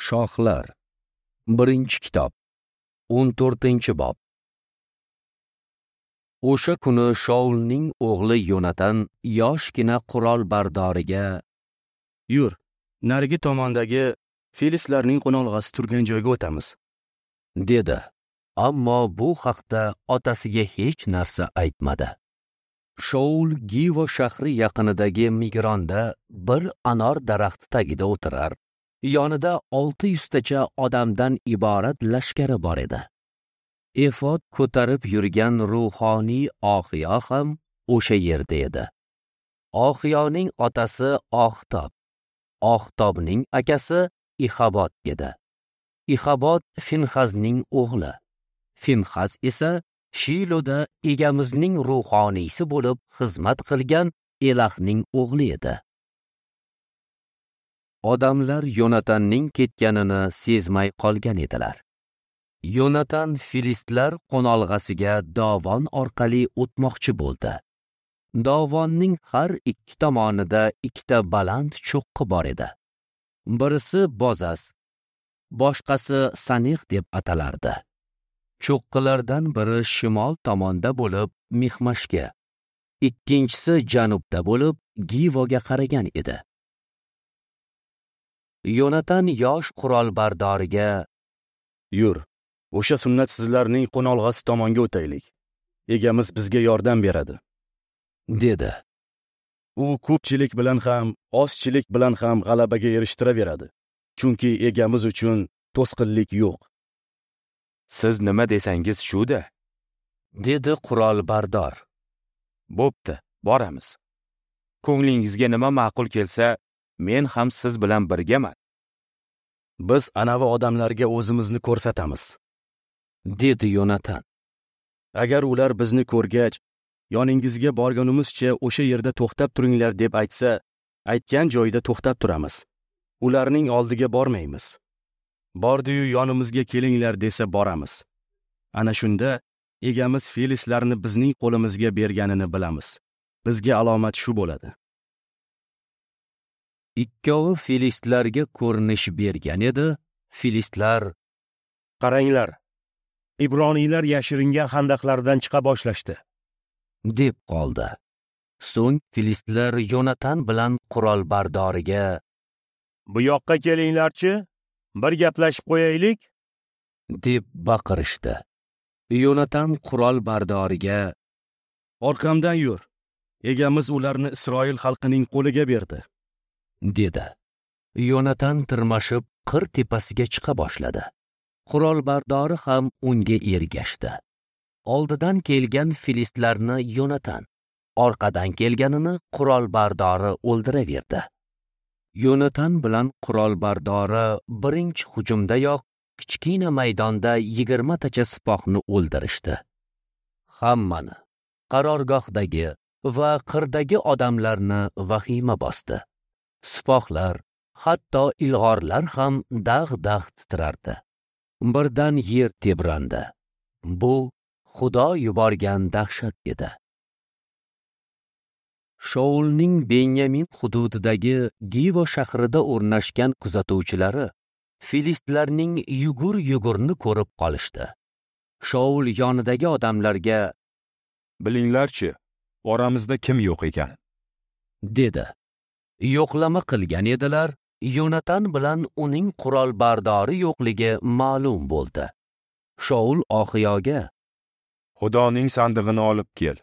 Shohlar. 1-kitob, 14-bob. O'sha kuni Shaulning o'g'li Yonatan yoshgina qurol bardoriga: "Yur, narigi tomondagi filistlarning qo'nolg'asi turgan joyga o'tamiz", dedi. Ammo bu haqda otasiga hech narsa aytmadi. Shaul Givo shahri yaqinidagi Migronda bir anor daraxti tagida o'tirar. Yonida 600 tacha odamdan iborat lashkari bor edi. Efod ko'tarib yurgan ruhoniy Oxiyo ham o'sha yerda edi. Oxiyoning otasi Oxtob, Oxtobning akasi Ixabot edi. Ixabot Finxazning o'g'li. Finxaz esa Shiloda egamizning ruhoniysi bo'lib xizmat qilgan Elahning o'g'li edi. Odamlar Yonatanning ketganini sezmay qolgan edilar. Yonatan filistlar qo'nolg'asiga dovon orqali o'tmoqchi bo'ldi. Dovonning har ikki tomonida ikkita baland cho'qqi bor edi. Birisi Bozas, boshqasi Sanix deb atalardi. Cho'qqilardan biri shimol tomonda bo'lib Mixmashga, ikkinchisi janubda bo'lib Givoga qaragan edi. Yonatan yosh qurolbardoriga: "Yur, o'sha sunnatsizlarning qo'nolg'asi tomonga o'taylik. Egamiz bizga yordam beradi", dedi. U ko'pchilik bilan ham, ozchilik bilan ham g'alabaga erishtiraveradi. Chunki egamiz uchun to'sqinlik yo'q. Siz nima desangiz shu-da, dedi qurolbardor. Bo'pti, boramiz. Ko'nglingizga nima ma'qul kelsa, men ham siz bilan birgaman. Biz anavi odamlarga o'zimizni ko'rsatamiz, dedi Yonatan. Agar ular bizni ko'rgach, yoningizga borganimizcha o'sha yerda to'xtab turinglar deb aytsa, aytgan joyida to'xtab turamiz. Ularning oldiga bormaymiz. Bordi-yu yonimizga kelinglar desa boramiz. Ana shunda egamiz filistlarni bizning qo'limizga berganini bilamiz. Bizga alomat shu bo'ladi. Ikkovi filistlarga ko'rinish bergan edi. Filistlar: "Qaranglar, Ibroniylar yashiringan xandaqlardan chiqa boshlashdi", deb qoldi. So'ng filistlar Yonatan bilan qurolbardoriga: "Bu yoqqa kelinglarchi, bir gaplashib qo'yaylik", deb baqirishdi. Yonatan qurolbardoriga: "Orqamdan yur, egamiz ularni Isroil xalqining qo'liga berdi", dedi. Yonatan tirmashib qir tepasiga chiqa boshladi. Qurolbardori ham unga ergashdi. Oldidan kelgan filistlarni Yonatan, orqadan kelganini qurolbardori o'ldiraverdi. Yonatan bilan qurolbardori birinchi hujumdayoq kichkina maydonda 20 tacha sipohni o'ldirishdi. Hammani, qarorgohdagi va qirdagi odamlarni vahima bosdi. Sipohlar, hatto ilg'orlar ham dag'-dag' titrardi. Birdan yer tebrandi. Bu Xudo yuborgan dahshat edi. Shaulning Benyamin hududidagi Givo shahrida o'rnashgan kuzatuvchilari filistlarning yugur-yugurni ko'rib qolishdi. Shaul yonidagi odamlarga: "Bilinglarchi, oramizda kim yo'q ekan?" dedi. Yo'qlama qilgan edilar, Yonatan bilan uning qurolbardori yo'qligi ma'lum bo'ldi. Shaul Oxiyoga: "Xudoning sandig'ini olib kel",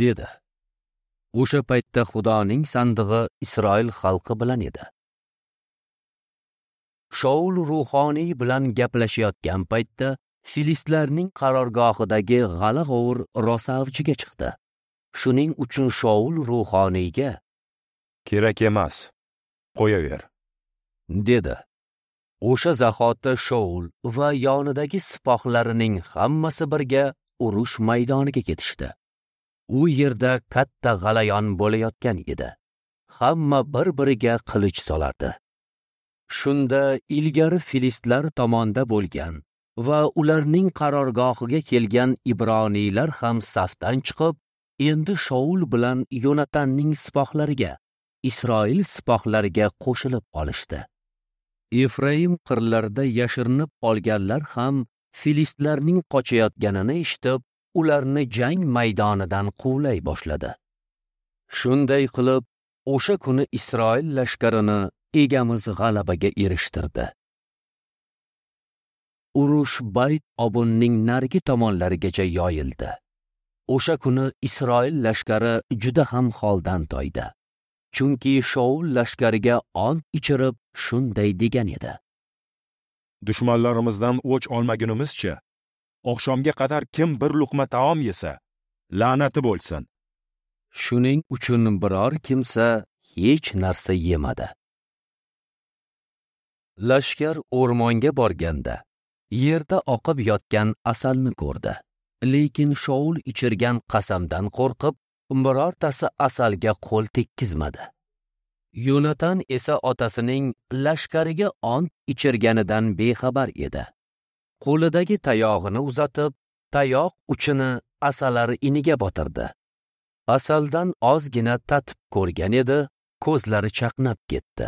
dedi. O'sha paytda Xudoning sandig'i Isroil xalqi bilan edi. Shaul ruhoniy bilan gaplashayotgan paytda filistlarning qarorgohidagi g'ala-g'ovur rosa avjiga chiqdi. Shuning uchun Shaul ruhoniyga: "Kerak emas, qo'yaver", dedi. O'sha zahoti Shaul va yonidagi sipohlarining hammasi birga urush maydoniga ketishdi. U yerda katta g'alayon bo'layotgan edi. Hamma bir-biriga qilich solardi. Shunda ilgari filistlar tomonda bo'lgan va ularning qarorgohiga kelgan ibroniylar ham safdan chiqib, endi Shaul bilan Yonatanning sipohlariga, Isroil sipohlariga qo'shilib olishdi. Efraim qirlarida yashirinib olganlar ham filistlarning qochayotganini eshitib, ularni jang maydonidan quvlay boshladi. Shunday qilib, o'sha kuni Isroil lashkarini Egamiz g'alabaga erishtirdi. Urush Bayt Obunning narigi tomonlarigacha yoyildi. O'sha kuni Isroil lashkari juda ham holdan toydi. Chunki Shaul lashkariga ont ichirib shunday degan edi: Dushmanlarimizdan o'ch olmagunimizcha, oqshomga qadar kim bir luqma taom yesa, la'nati bo'lsin. Shuning uchun biror kimsa hech narsa yemadi. Lashkar o'rmonga borganda yerda oqib yotgan asalni ko'rdi. Lekin Shaul ichirgan qasamdan qo'rqib, birortasi asalga qo'l tekkizmadi. Yonatan esa otasining lashkariga ont ichirganidan bexabar edi. Qo'lidagi tayog'ini uzatib, tayoq uchini asalari iniga botirdi. Asaldan ozgina tatib ko'rgan edi, ko'zlari chaqnab ketdi.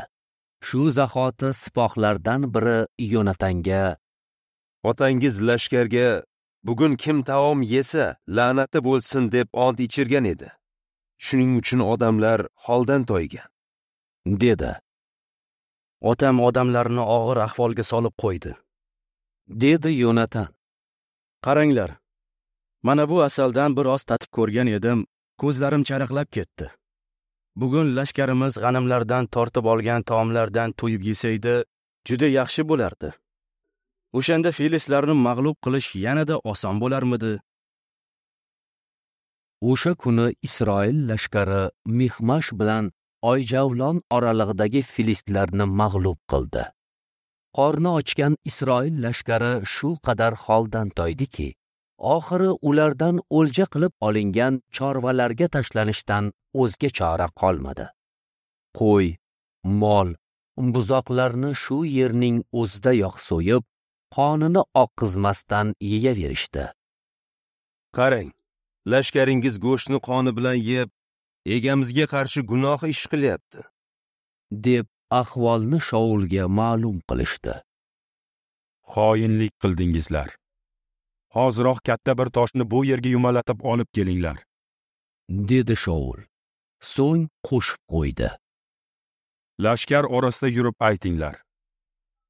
Shu zahoti sipohlardan biri Yonatanga: Otangiz lashkarga bugun kim taom yesa, la'nati bo'lsin deb ont ichirgan edi. Shuning uchun odamlar holdan toygan, dedi. Otam odamlarni og'ir ahvolga solib qo'ydi, dedi Yonatan. Qaranglar, mana bu asaldan bir oz tatib ko'rgan edim, ko'zlarim charaqlab ketdi. Bugun lashkarimiz g'animlardan tortib olgan taomlardan to'yib yesaydi, juda yaxshi bo'lardi. O'shanda filistlarni mag'lub qilish yanada oson bo'larmidi? O'sha kuni Isroil lashkari Mixmash bilan Oyjavlon oralig'idagi filistlarni mag'lub qildi. Qorni ochgan Isroil lashkari shu qadar holdan toydiki, oxiri ulardan o'lja qilib olingan chorvalarga tashlanishdan o'zga chora qolmadi. Qo'y, mol, buzoqlarni shu yerning o'zidayoq so'yib, qonini oqqizmasdan yeyaverishdi. Qarang, lashkaringiz go'shtni qoni bilan yeb, egamizga qarshi gunoh ish qilyapti, deb ahvolni Shaulga ma'lum qilishdi. Xoinlik qildingizlar. Hoziroq katta bir toshni bu yerga yumalatib olib kelinglar, dedi Shaul. So'ng qo'shib qo'ydi: Lashkar orasida yurib aytinglar.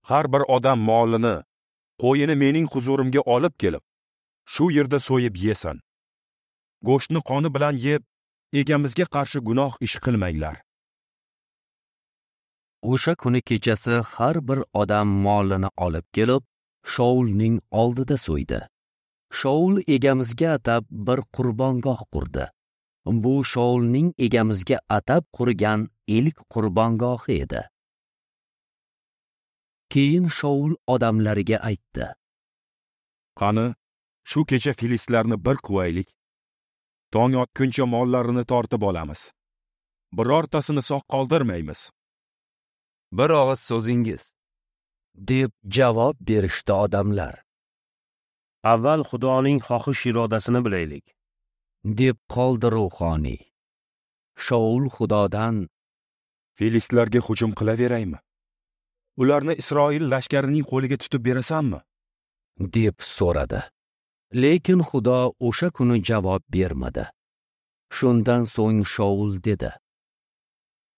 Har bir odam molini, qo'yini mening huzurimga olib kelib, shu yerda so'yib yesin. Go'shtni qoni bilan yeb, egamizga qarshi gunoh ish qilmanglar. O'sha kuni kechasi har bir odam molini olib kelib, Shaulning oldida so'ydi. Shaul egamizga atab bir qurbongoh qurdi. Bu Shaulning egamizga atab qurgan ilk qurbongohi edi. Keyin Shaul odamlariga aytdi: Qani, shu kecha filistlarni bir quvaylik. Tong otguncha mollarini tortib olamiz. Birortasini sog' qoldirmaymiz. Bir og'iz so'zingiz, deb javob berishdi odamlar. Avval Xudoning xohish irodasini bilaylik, deb qoldi ruhoniy. Shaul Xudodan: Filistlarga hujum qilaveraymi? Ularni Isroil lashkarining qo'liga tutib berasanmi? deb so'radi. Lekin Xudo o'sha kuni javob bermadi. Shundan so'ng Shaul dedi: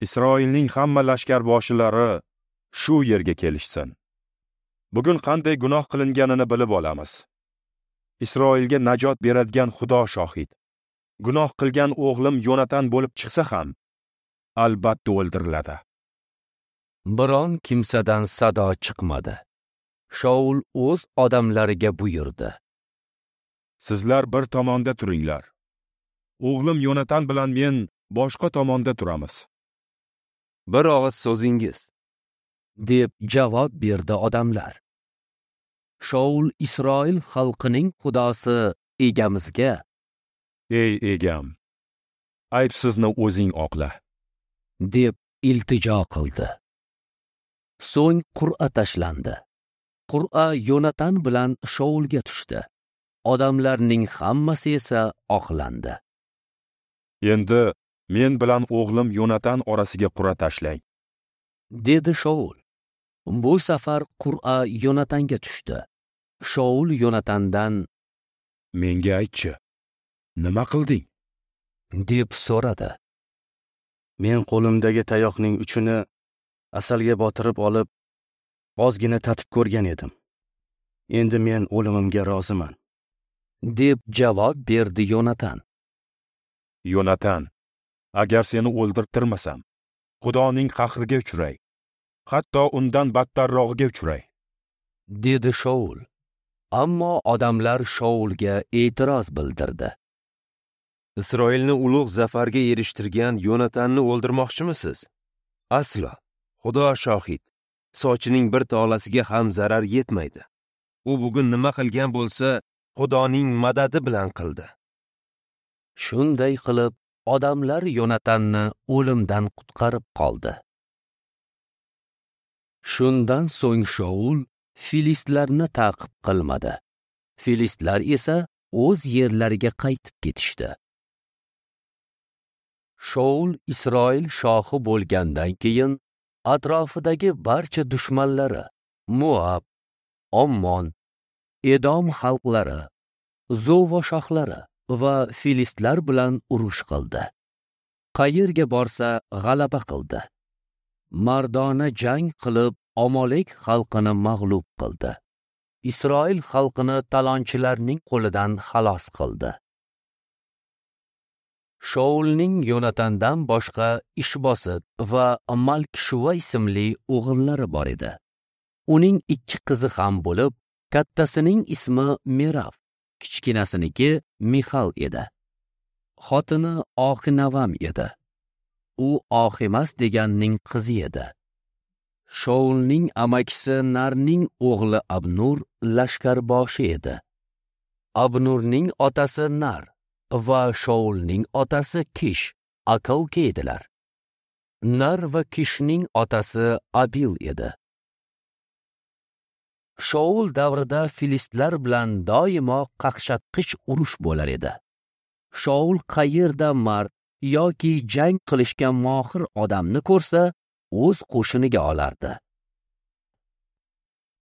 Isroilning hamma lashkarboshilari shu yerga kelishsin. Bugun qanday gunoh qilinganini bilib olamiz. Isroilga najot beradigan Xudo shohid. Gunoh qilgan o'g'lim Yonatan bo'lib chiqsa ham, albatta o'ldiriladi. Biron kimsadan sado chiqmadi. Shaul o'z odamlariga buyurdi: Sizlar bir tomonda turinglar. O'g'lim Yonatan bilan men boshqa tomonda turamiz. Bir og'iz so'zingiz, deb javob berdi odamlar. Shaul Isroil xalqining Xudosi egamizga: Ey egam, aybsizni o'zing oqla, deb iltijo qildi. So'ng qur'a tashlandi. Qur'a Yonatan bilan Shaulga tushdi. Odamlarning hammasi esa oqlandi. Endi men bilan o'g'lim Yonatan orasiga qur'a tashlang, dedi Shaul. Bu safar qur'a Yonatanga tushdi. Shaul Yonatandan: "Menga aytchi, nima qilding?" deb so'radi. Men qo'limdagi tayoqning uchini asalga botirib olib, ozgina tatib ko'rgan edim. Endi men o'limimga roziman, deb javob berdi Yonatan. Yonatan, agar seni o'ldirtirmasam, Xudoning qahriga uchray, hatto undan battarrog'iga uchray, dedi Shaul. Ammo odamlar Shaulga e'tiroz bildirdi. Isroilni ulug' zafarga erishtirgan Yonatanni o'ldirmoqchimisiz? Aslo, Xudo shohid, sochining bir tolasiga ham zarar yetmaydi. U bugun nima qilgan bo'lsa, Xudoning madadi bilan qildi. Shunday qilib, odamlar Yonatanni o'limdan qutqarib qoldi. Shundan so'ng Shaul filistlarni ta'qib qilmadi. Filistlar esa o'z yerlariga qaytib ketishdi. Shaul Isroil shohi bo'lgandan keyin atrofidagi barcha dushmanlari Moab, Ommon, Edom xalqlari, Zova shohlari va filistlar bilan urush qildi. Qayerga borsa g'alaba qildi. Mardona jang qilib Amalek xalqini mag'lub qildi. Isroil xalqini talonchilarning qo'lidan xalos qildi. Shaulning Yonatandan boshqa Ishbosit va Malkishuva ismli o'g'illari bor edi. Uning ikki qizi ham bo'lib, kattasining ismi Meraf, kichkinasiniki Mixal edi. Xotini Oxinavam edi. U Oximas deganning qizi edi. Shaulning amakisi Narning o'g'li Abnur lashkarboshi edi. Abnurning otasi Nar va Shaulning otasi Kish aka-uka edilar. Nar va Kishning otasi Abil edi. Shaul davrida filistlar bilan doimo qaqshatqich urush bo'lar edi. Shaul qayerda mard yoki jang qilishga mohir odamni ko'rsa, o'z qo'shiniga olardi.